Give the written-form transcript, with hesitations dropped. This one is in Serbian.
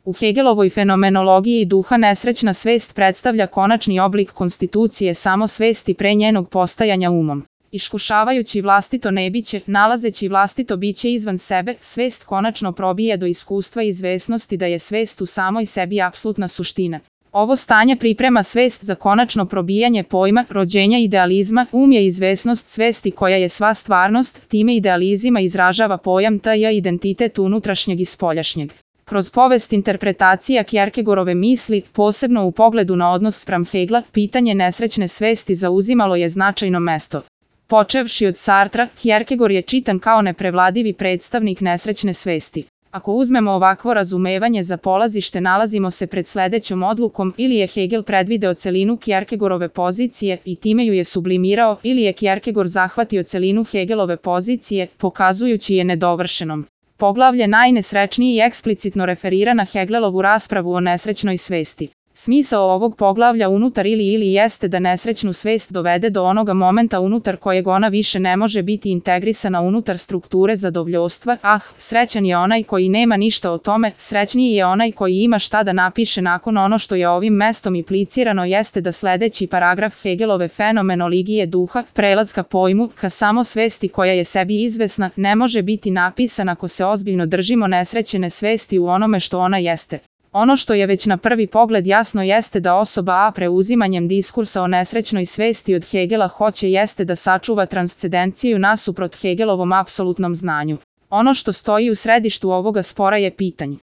U Hegelovoj fenomenologiji duha nesrećna svest predstavlja konačni oblik konstitucije samosvesti pre njenog postajanja umom. Iskušavajući vlastito nebiće, nalazeći vlastito biće izvan sebe, svest konačno probije do iskustva i izvesnosti da je svest u samoj sebi apsolutna suština. Ovo stanje priprema svest za konačno probijanje pojma, rođenja idealizma, je izvesnost svesti koja je sva stvarnost, time idealizima izražava pojam taj identitet unutrašnjeg i spoljašnjeg. Kroz povest interpretacija Kierkegaardove misli, posebno u pogledu na odnos spram Hegela, pitanje nesrećne svesti zauzimalo je značajno mesto. Počevši od Sartra, Kierkegaard je čitan kao neprevladivi predstavnik nesrećne svesti. Ako uzmemo ovakvo razumevanje za polazište, nalazimo se pred sledećom odlukom: ili je Hegel predvideo celinu Kierkegaardove pozicije i time ju je sublimirao, ili je Kierkegaard zahvatio celinu Hegelove pozicije, pokazujući je nedovršenom. Poglavlje najnesrećniji i eksplicitno referira na Hegelovu raspravu o nesrećnoj svesti. Smisao ovog poglavlja unutar ili jeste da nesrećnu svest dovede do onoga momenta unutar kojeg ona više ne može biti integrisana unutar strukture zadovoljstva. Srećan je onaj koji nema ništa o tome, srećniji je onaj koji ima šta da napiše nakon ono što je ovim mestom implicirano jeste da sledeći paragraf Hegelove fenomenologije duha, prelaz ka pojmu, ka samosvesti koja je sebi izvesna, ne može biti napisan ako se ozbiljno držimo nesrećene svesti u onome što ona jeste. Ono što je već na prvi pogled jasno jeste da osoba A preuzimanjem diskursa o nesrećnoj svesti od Hegela hoće jeste da sačuva transcendenciju nasuprot Hegelovom apsolutnom znanju. Ono što stoji u središtu ovoga spora je pitanje: